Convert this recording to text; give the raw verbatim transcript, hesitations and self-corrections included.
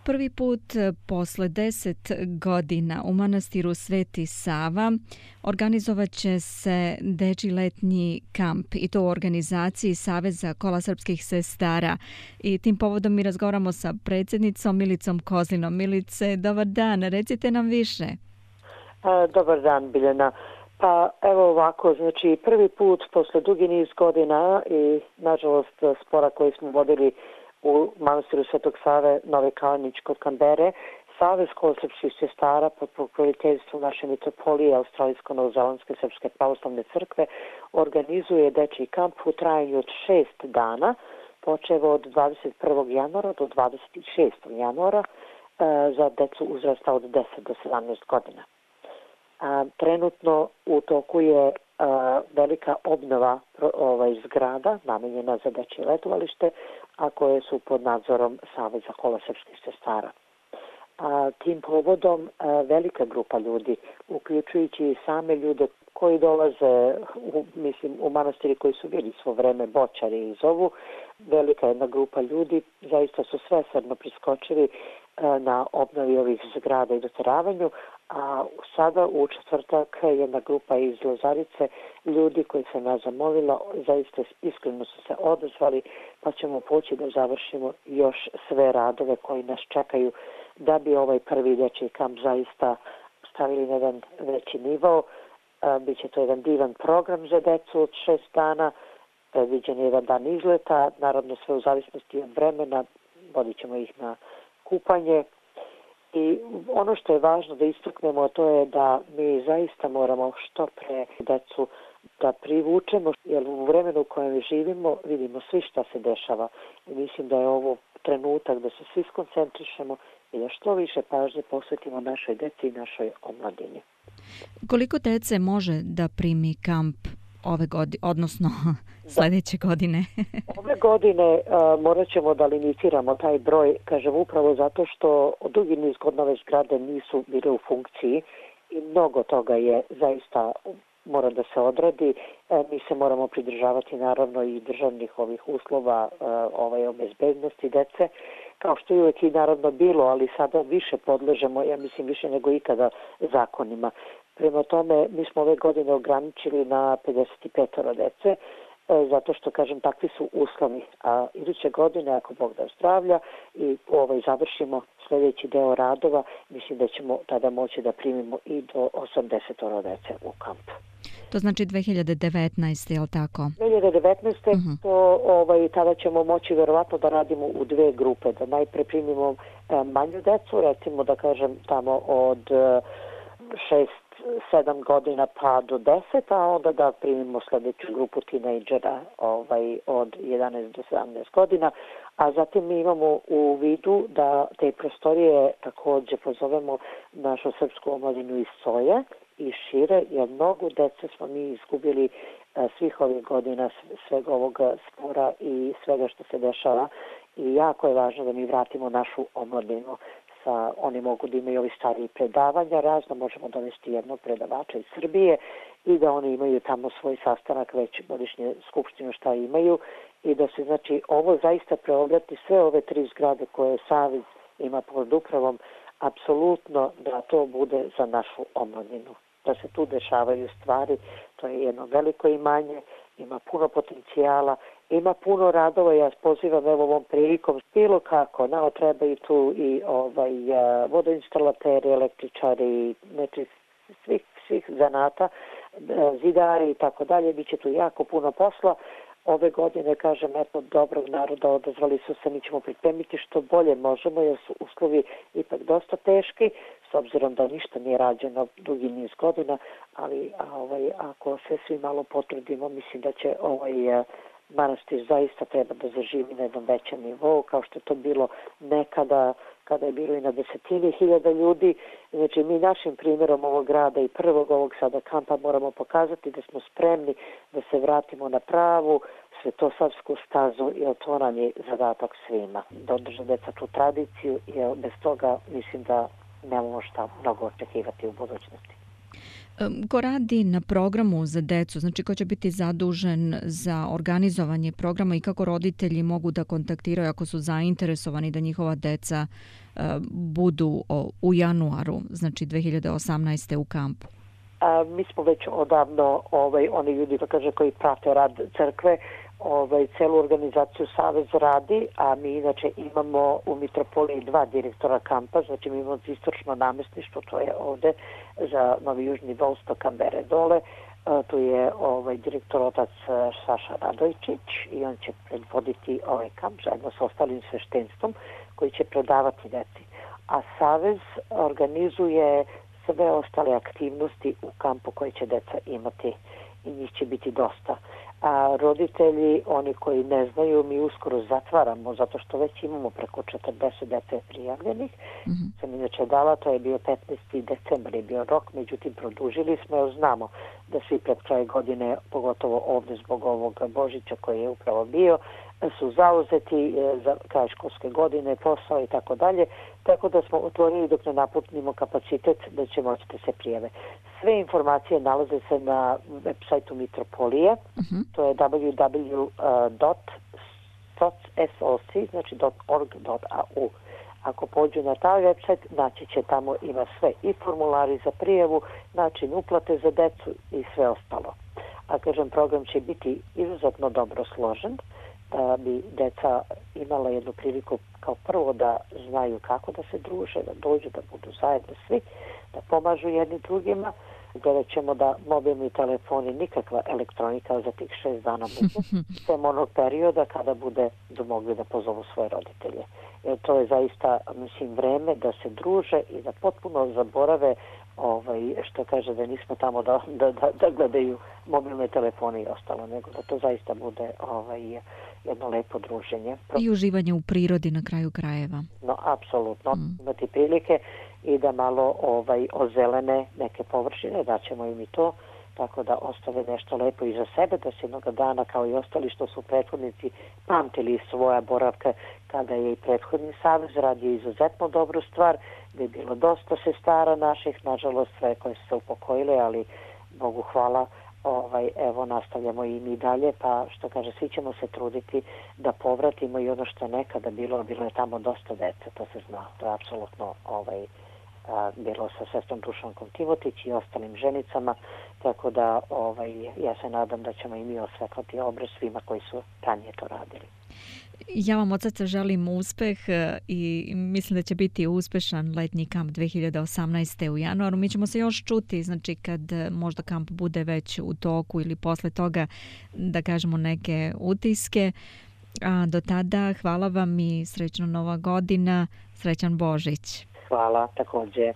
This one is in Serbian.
Prvi put posle deset godina u manastiru Sveti Sava organizovat će se dečji letnji kamp i to u organizaciji Saveza kola srpskih sestara. I tim povodom mi razgovaramo sa predsjednicom Milicom Kozlinom. Milice, dobar dan, recite nam više. A, dobar dan, Biljana. Pa evo ovako, znači prvi put posle dugi niz godina i nažalost spora koji smo vodili u manastiru Svetog Save Nove Kalanić kod Kambere, Savez kola srpskih sestara pod pokroviteljstvom naše mitropolije Australijsko-Novozelandske srpske pravoslavne crkve organizuje dečji kamp u trajanju od šest dana, počev od dvadeset prvog januara do dvadeset šestog januara za decu uzrasta od deset do sedamnaest godina. A, trenutno u toku je a, velika obnova ovaj, zgrada namenjena za dečje letovalište, a koje su pod nadzorom Saveza kola srpskih sestara. A, tim povodom a, velika grupa ljudi, uključujući i same ljude koji dolaze u, mislim, u manastiri koji su bili svo vreme boćari i zovu, velika jedna grupa ljudi, zaista su svesrdno priskočili a, na obnovi ovih zgrada i doteravanju, a sada u četvrtak jedna grupa iz Lozarice ljudi koji sam ja zamolila, zaista iskreno su se odazvali, pa ćemo poći da završimo još sve radove koji nas čekaju da bi ovaj prvi dečji kamp zaista stavili na jedan veći nivo. Biće to jedan divan program za decu od šest dana, predviđen je jedan dan izleta, naravno sve u zavisnosti od vremena, vodit ćemo ih na kupanje. I ono što je važno da istaknemo, to je da mi zaista moramo što pre decu da privučemo, jer u vremenu u kojem živimo vidimo svi šta se dešava. I mislim da je ovo trenutak da se svi skoncentrišemo i da što više pažnje posvetimo našoj deci i našoj omladini. Koliko dece može da primi kamp ove godine, odnosno sljedeće godine? Ove godine uh, morat ćemo da limitiramo taj broj, kažem upravo zato što dugi niz godina ove zgrade nisu bile u funkciji i mnogo toga je zaista mora da se odradi. E, mi se moramo pridržavati naravno i državnih ovih uslova uh, ovaj, o bezbednosti dece, kao što je uvijek i naravno bilo, ali sada više podležemo, ja mislim više nego ikada, zakonima. Prema tome, mi smo ove godine ograničili na pedeset pet dece, zato što, kažem, takvi su uslovi. A iduće godine, ako Bog da zdravlja i ovaj, završimo sljedeći deo radova, mislim da ćemo tada moći da primimo i do osamdeset dece u kamp. To znači dve hiljade devetnaeste. je li tako? dve hiljade devetnaeste. Uh-huh. To, ovaj, tada ćemo moći verovatno da radimo u dve grupe, da najpre primimo eh, manju decu, recimo da kažem tamo od eh, šest sedam godina pa do deset, a onda da primimo sljedeću grupu tinejdžera ovaj, od jedanaest do sedamnaest godina, a zatim mi imamo u vidu da te prostorije također pozovemo našu srpsku omladinu iz Soje i šire, jer mnogo dece smo mi izgubili a, svih ovih godina, svega ovog spora i svega što se dešava i jako je važno da mi vratimo našu omladinu. Sa, oni mogu da imaju ovi stariji predavanja, razno možemo dovesti jednog predavača iz Srbije i da oni imaju tamo svoj sastanak već godišnje skupštine šta imaju i da se znači ovo zaista preobrati sve ove tri zgrade koje Savez ima pod upravom, apsolutno da to bude za našu omladinu. Da se tu dešavaju stvari, to je jedno veliko imanje, ima puno potencijala, ima puno radova, ja pozivam evo ovom prilikom bilo kako, nama trebaju tu i ovaj, vodoinstalateri, električari, znači svih, svih zanata, zidari i tako dalje, bit će tu jako puno posla. Ove godine, kažem, eto, dobrog naroda odazvali su se, mi ćemo pripremiti što bolje možemo, jer su uslovi ipak dosta teški, s obzirom da ništa nije rađeno dugi niz godina, ali a, ovaj, ako se svi malo potrudimo, mislim da će ovaj manastir zaista treba da zaživi na jednom većem nivou, kao što je to bilo nekada, kada je bilo i na desetine hiljada ljudi. Znači, mi našim primjerom ovog grada i prvog ovog sada kampa moramo pokazati da smo spremni da se vratimo na pravu svetosavsku stazu, jer to nam je zadatak svima. Da održe deca tu tradiciju, jer bez toga mislim da nemamo šta mnogo očekivati u budućnosti. Ko radi na programu za decu, znači ko će biti zadužen za organizovanje programa i kako roditelji mogu da kontaktiraju ako su zainteresovani da njihova deca budu u januaru, znači dve hiljade osamnaeste. u kampu? A, mi smo već odavno, ovaj, oni ljudi da kaže, koji prate rad crkve, ovaj, celu organizaciju Savez radi, a mi inače imamo u Mitropoliji dva direktora kampa, znači mi imamo istočno namestništvo, to je ovde za Novi Južni Volsto, Kambere dole, a, tu je ovaj, direktor otac Saša Radojčić i on će predvoditi ovaj kamp zajedno sa ostalim sveštenstvom koji će predavati deci. A Savez organizuje sve ostale aktivnosti u kampu koje će deca imati i njih će biti dosta. A roditelji, oni koji ne znaju, mi uskoro zatvaramo zato što već imamo preko četrdeset dece prijavljenih. Mm-hmm. Sam inače dala, to je bio petnaesti decembar je bio rok, međutim produžili smo jer znamo da svi pred kraj godine, pogotovo ovdje zbog ovog Božića koji je upravo bio, su zauzeti za kraj školske godine, posao i tako dalje, tako da smo otvorili dok ne napunimo kapacitet da će moći da se prijave. Sve informacije nalaze se na web sajtu Mitropolije, uh-huh. to je w w w dot soc, znači .org dot a u. Ako pođu na taj website, naći će tamo, ima sve i formulari za prijavu, način uplate za decu i sve ostalo. A kažem, program će biti izuzetno dobro složen, da bi deca imala jednu priliku kao prvo da znaju kako da se druže, da dođu, da budu zajedno svi, da pomažu jedni drugima. Gledat ćemo da mobilni telefoni, nikakva elektronika za tih šest dana budu, sem onog perioda kada bude da mogli da pozovu svoje roditelje. Jer to je zaista, mislim, vreme da se druže i da potpuno zaborave ovaj, što kaže da nismo tamo da, da, da, da gledaju mobilne telefone i ostalo, nego da to zaista bude ovaj, jedno lepo druženje. I uživanje u prirodi na kraju krajeva. No, apsolutno. Mm. Imati prilike i da malo ovaj, ozelene neke površine, da ćemo im i to, tako da ostave nešto lepo iza sebe, da se jednog dana, kao i ostali što su prethodnici, pamtili svoja boravka kada je i prethodni savez radio izuzetno dobru stvar, da je bilo dosta sestara naših, nažalost sve koje su se upokojile, ali Bogu hvala, ovaj, evo nastavljamo i mi dalje, pa što kaže, svi ćemo se truditi da povratimo i ono što je nekada bilo, bilo je tamo dosta dece, to se zna, to je apsolutno ovaj, a, bilo sa sestrom Dušankom Timotić i ostalim ženicama, tako da ovaj, ja se nadam da ćemo i mi osvetlati obraz svima koji su ranije to radili. Ja vam od srca želim uspeh i mislim da će biti uspešan letnji kamp dve hiljade osamnaeste. u januaru. Mi ćemo se još čuti, znači kad možda kamp bude već u toku ili posle toga, da kažemo neke utiske. A do tada hvala vam i srećna Nova godina, srećan Božić. Hvala, također.